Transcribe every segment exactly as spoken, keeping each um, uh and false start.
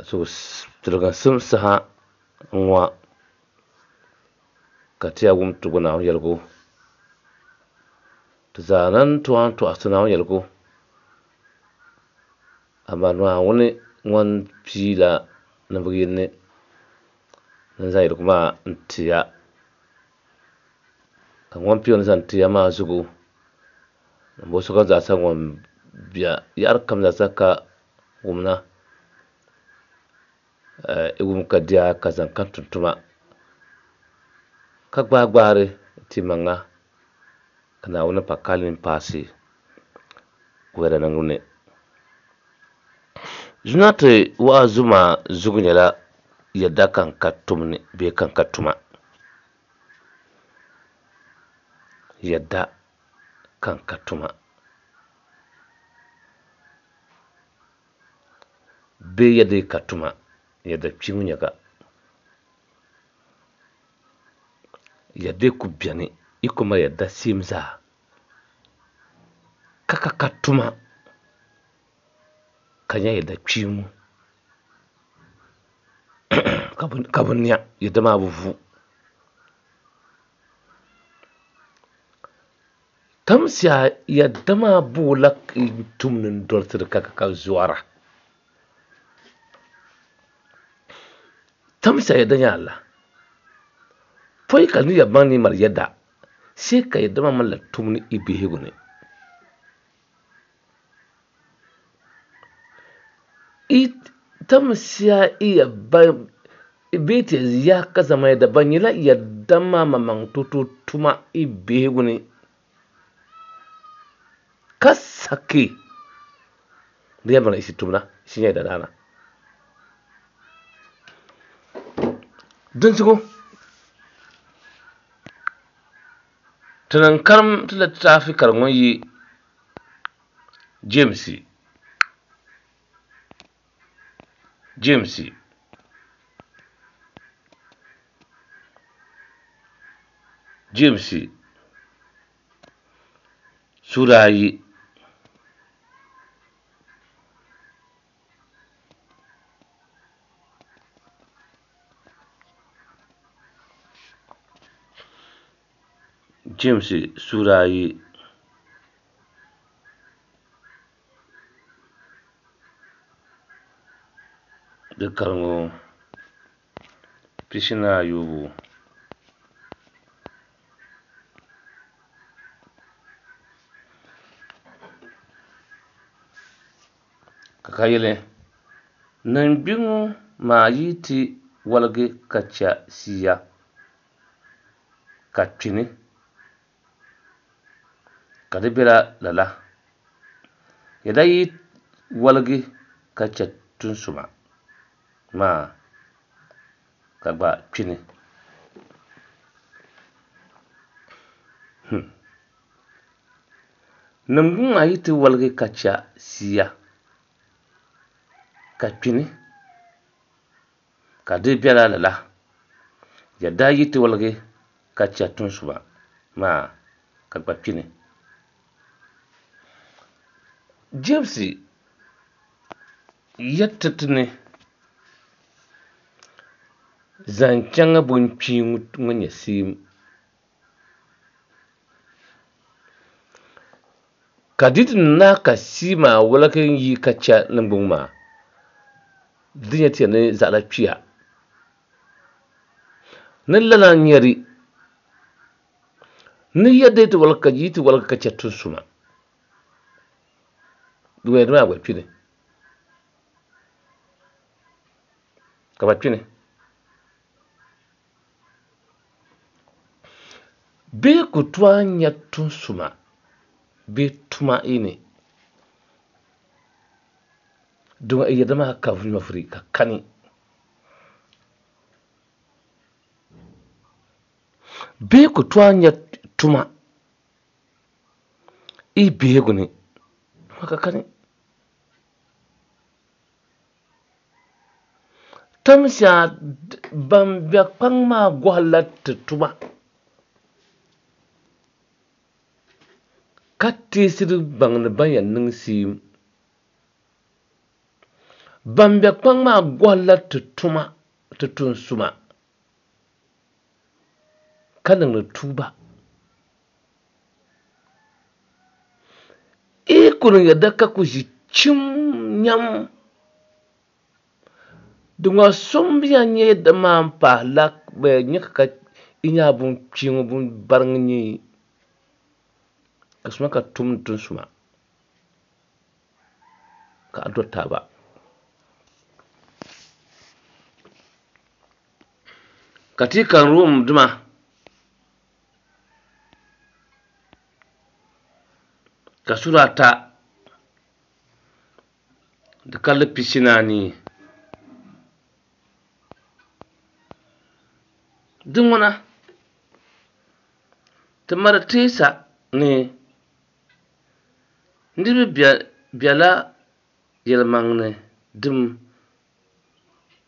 So tiliginsim saha n-ŋɔ ka ti yaa wum ti gu Naawuni yɛligu. Ti zaa lan tooi tɔɣisi Naawuni yɛligu, amaa Naawuni ŋun piila ninvuɣ yini ni zaŋ yɛligu maa n-ti ya. Ka ŋun pii o ni zaŋ ti ya maa zuɣu, ninvuɣ sokam zaasa ŋun be yaɣiri kam zaasa ka wumna, i wum ka diya ka zaŋ kam tum tuma, ka gbaai gbaari ti maŋa ka Naawuni pa kalim paasi o yɛda niŋbu ni. Zuna ti wa'azu maa zuɣu nyɛla yɛda ka n ka tumni bee ka n ka tuma. Yɛda ka n ka tuma bee yɛda ka tuma, yɛda kpiŋ nyɛga. Yɛda ku beni, i ku mali yɛda seem zaa ka ka ka tuma ka nya yɛda kpiŋ ka bi nya yɛda maa bi vu. Tamsia yɛda maa boola tumni n-dolsiri ka ka ka zɔra. Tamsia yɛda nya la. Pɔi ka ni ya baŋ ni mali yɛda, sai ka yɛda maa malila tumni i bihigu ni. I tamsia i ya ba bee ti ya ka zama yɛda ba nyɛla yɛda maa maŋmaŋ toto tuma i bihigu ni. Ka saki di yɛn baŋ isi tumna, isi nya yɛda daana. Dinzuɣu ti niŋ karim ti litaafi kari ŋun yi James James James suura ayi James suura ayi di kariŋɔ pishi ni ayɔbu. Ka ka yɛli, niŋgbuŋ maa yi ti waligi ka chɛ siya ka kpini, ka di bela lala. Yɛda yi waligi ka chɛ tunsuma maa ka gba kpini. Hmm. Niŋgbuŋ maa yi ti waligi ka chɛ siya ka kpini, ka di bela lala. Yɛda yi ti waligi ka chɛ tunsuma maa ka gba kpini. James yɛtti ti ni zaŋ chaŋ bunkpiiŋ ŋun nyɛ siim. Ka di ti na ka sii maa waligi yi ka chɛ niŋgbuŋ maa, di nyɛ ti ni zaɣila kpiya. Ni lala nyɛri ni yɛda yi ti waligi ka yi ti waligi ka chɛ tunsuma, di yɛda maa gba kpini. Ka ba kpini. Bee ku tooi nya tunsuma bee tuma yi ni, don yɛda maa ka nyɔvuri ka kani. Bee ku tooi nya tuma i bihigu ni, ka kani. Tamsia ban be kpaŋ maa gɔhila ti tuma ka teesiri baŋ ni ban yɛn niŋ siim. Ban be kpaŋ maa gɔhila ti tuma ti tun suma ka niŋdi tuuba. I ku niŋ yɛda ka ku ʒi chim nyam. Di ŋɔ so m-bi yan nya yɛda maa m-pahila bɛ nya ka i nya bun kpiiŋ bun bariŋ nyɛ ka suma ka tum tun suma ka a dɔri taaba. Ka ti kan Rom dima ka sura ata di kalli pishi ni anii. Di ŋuna ti mali teesa ni niriba bela yɛlimaŋli dim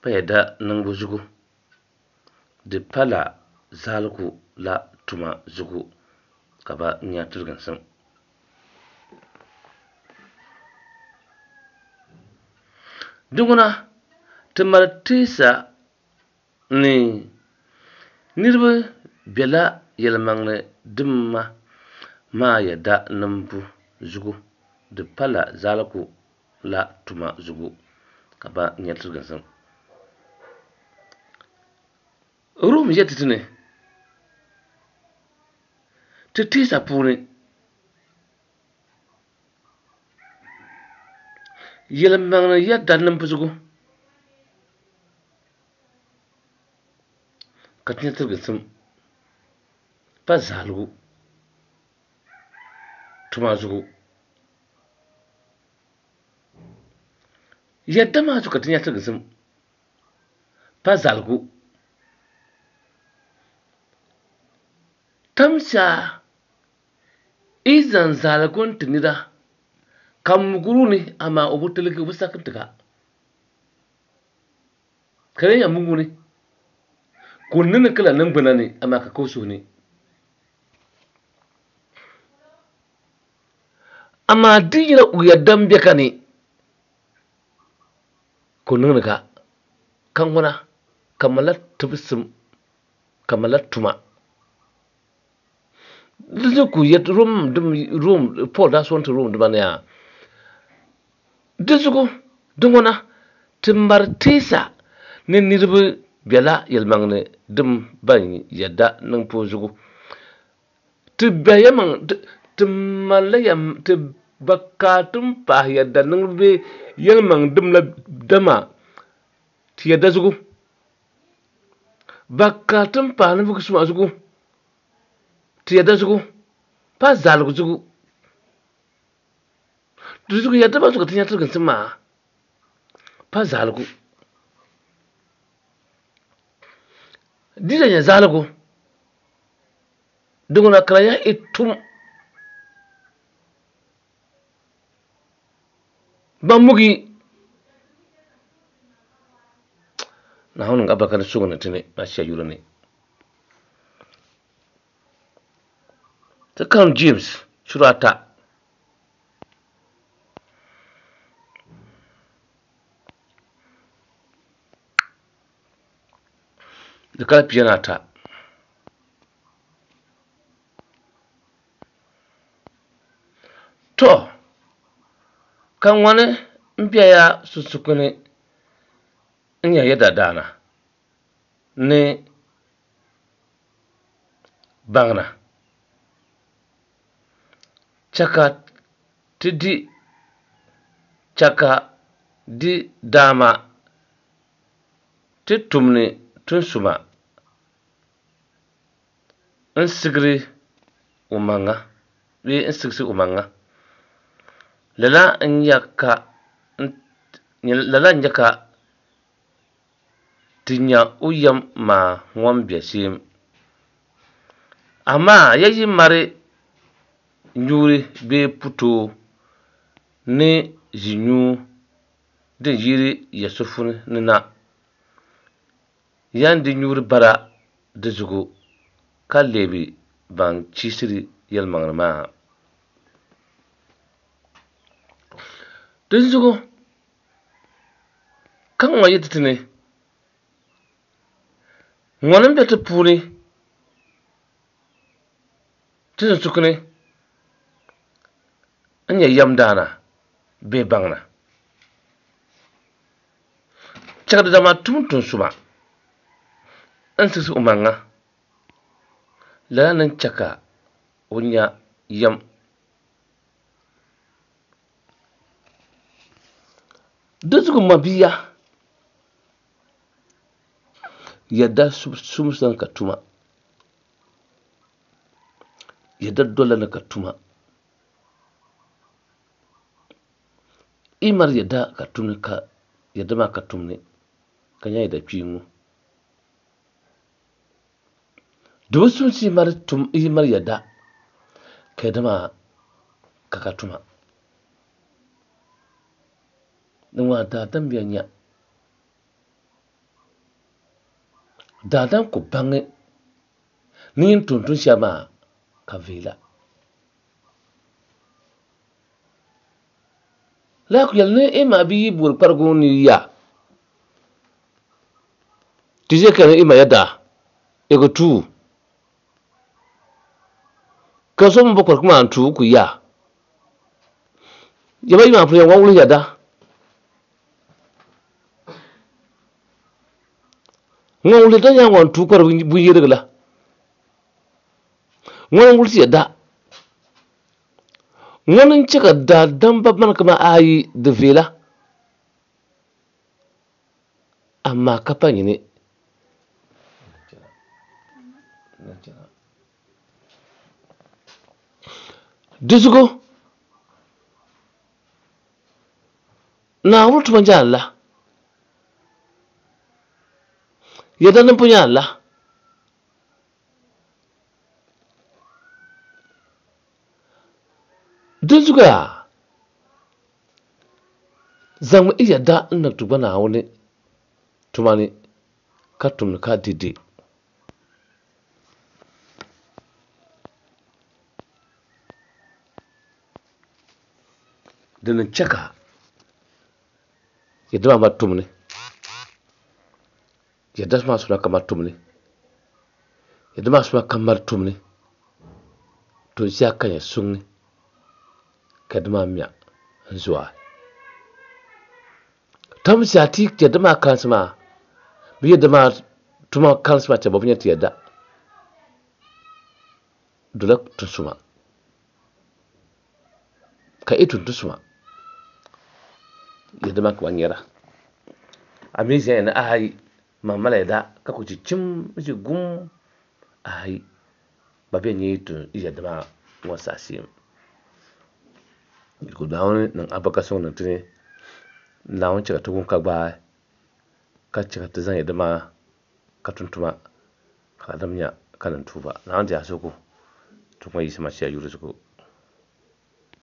pa yɛda niŋbu zuɣu, di pala zaligu la tuma zuɣu ka bɛ nya tiliginsim. Di ŋuna ti mali teesa ni niriba bela yɛlimaŋli dimma maa yɛda niŋbu zuɣu, di pala zaligu la tuma zuɣu ka bɛ nya tiliginsim. Rom yɛli ti ni ti teesa puuni yɛlimaŋli yɛda niŋbu zuɣu ka ti nya tiliginsim pa zaligu tuma zuɣu. Yɛda maa zuɣu ka ti nya tiliginsim pa zaligu. Tamsa i zaŋ zaligu n-ti nira ka muguru ni amaa o bi tiligi o bi saki n-ti ka. Ka di nya mugu ni ka o niŋdi kala niŋgbuna ni amaa ka ka o suhu ni. Amaa di nyɛla o yɛda m-be ka ni ka o niŋdi ka ka ŋuna ka malila tibisim ka malila tuma. Di zuɣu ka o yɛti Rom dim Rom Paul daa sɔŋ ti Rom dima ni yaa. Di zuɣu di ŋuna ti mari teesa ni niriba bela yɛlimaŋli dim ban yɛda niŋ puhi zuɣu. Ti be yɛmaŋ ti malila yɛm ti ba ka ti pahi yɛda niŋ bee yɛlimaŋ dim la dama ti yɛda zuɣu. Ba ka ti pahi ninvuɣ suma zuɣu ti yɛda zuɣu pa zaligu zuɣu. Di zuɣu yɛda maa zuɣu ka ti nya tiliginsim maa pa zaligu. Di la nyɛ zaligu di ŋuna ka ya i tum ban mugi Naawuni niŋ abarika ni suŋ ni ti ni Masia yuli ni. Ti karim James sura ata. Di kali pia ni ata. To, ka ŋɔni m-bɛya sunsukuni n-nyɛ yɛda daana ni baŋna. Chɛ ka ti di chɛ ka di daama ti tumdi tunsuma n-sigiri omaŋa bee n-sigisi omaŋa. Lala n-nyɛ ka ti nya o yɛm maa ŋɔn be shɛm. Amaa ya yi mari nyuuri bee putoo ni ʒinyuu din yiri ya sufuni ni na, yan di nyuuri bara di zuɣu ka lebi ban chisiri yɛlimaŋli maa. Dinzuɣu Ka ŋɔ yi ti ti ni ŋɔni m-be ti puuni ti ni sukuni n-nyɛ yɛmdaana bee baŋna. Chɛka dama tum tunsuma n siɣisi o maŋa lala ni chɛ ka o nya yɛm. Dinzuɣu mabia yɛda sumsi ni ka tuma, yɛda dola ni ka tuma. I mali yɛda ka tumni ka yɛda maa ka tumni ka nya yɛda kpiiŋu. Di bi sumsi yi mali tum yi mali yɛda ka yɛda maa ka ka tuma. Din ŋɔ daadam ya nya. Daadam ku baŋi ni yin tum tun shɛli maa ka viila. Lala ku yɛli ni i ma bi yi boori kparigu ni ya ti ʒe ka ni i ma yɛda i ku tuu ka so mi bo kparigu maa n-tuu ku ya. Yaba yi maa pun yɛn ŋɔ wuli yɛda. Ŋɔ wuli yɛda nyɛla ŋɔ n-tuu kpari binyɛrigu la. Ŋɔ n-wulisi yɛda. Ŋɔ n-chɛ ka daadamba mani kaman ayi di viɛla, amaa ka pa nyini. Di zuɣu Naawuni tuma nyaanla la, yɛda niŋbu nyaanla la. Dinzuɣu yaa zaŋmi i yɛda n-niŋ ti gba Naawuni tuma ni ka tumdi ka dɛde. Dini n-chɛ ka yɛda maa gba tumni, yɛda maa suma ka ma tumni, yɛda maa suma ka mali tumni, to ʒiya ka nyɛ suŋni ka yɛda maa mia n-zuai. Tam ʒiya ti yɛda maa kalinsi maa, bɛ yɛda maa tuma kalinsi maa chɛ bɛ bi nya ti yɛda dola tunsuma ka i tum tunsuma yɛda maa ka ba nyɛra. A mi ʒiya ni ayi man mali yɛda ka ku chi chim n-ʒi gum ayi ba bɛ nyɛ yi tum yɛda maa ŋɔ saha shee. Ku Naawuni niŋ albarka sɔŋ niŋ ti ni. Naawuni chɛ ka ti wum ka gbaai ka chɛ ka ti zaŋ yɛda maa ka tum tuma ka adam nya ka niŋ tuuba. Naawuni di a zuɣu ti kuma Yisa Masia yuli zuɣu.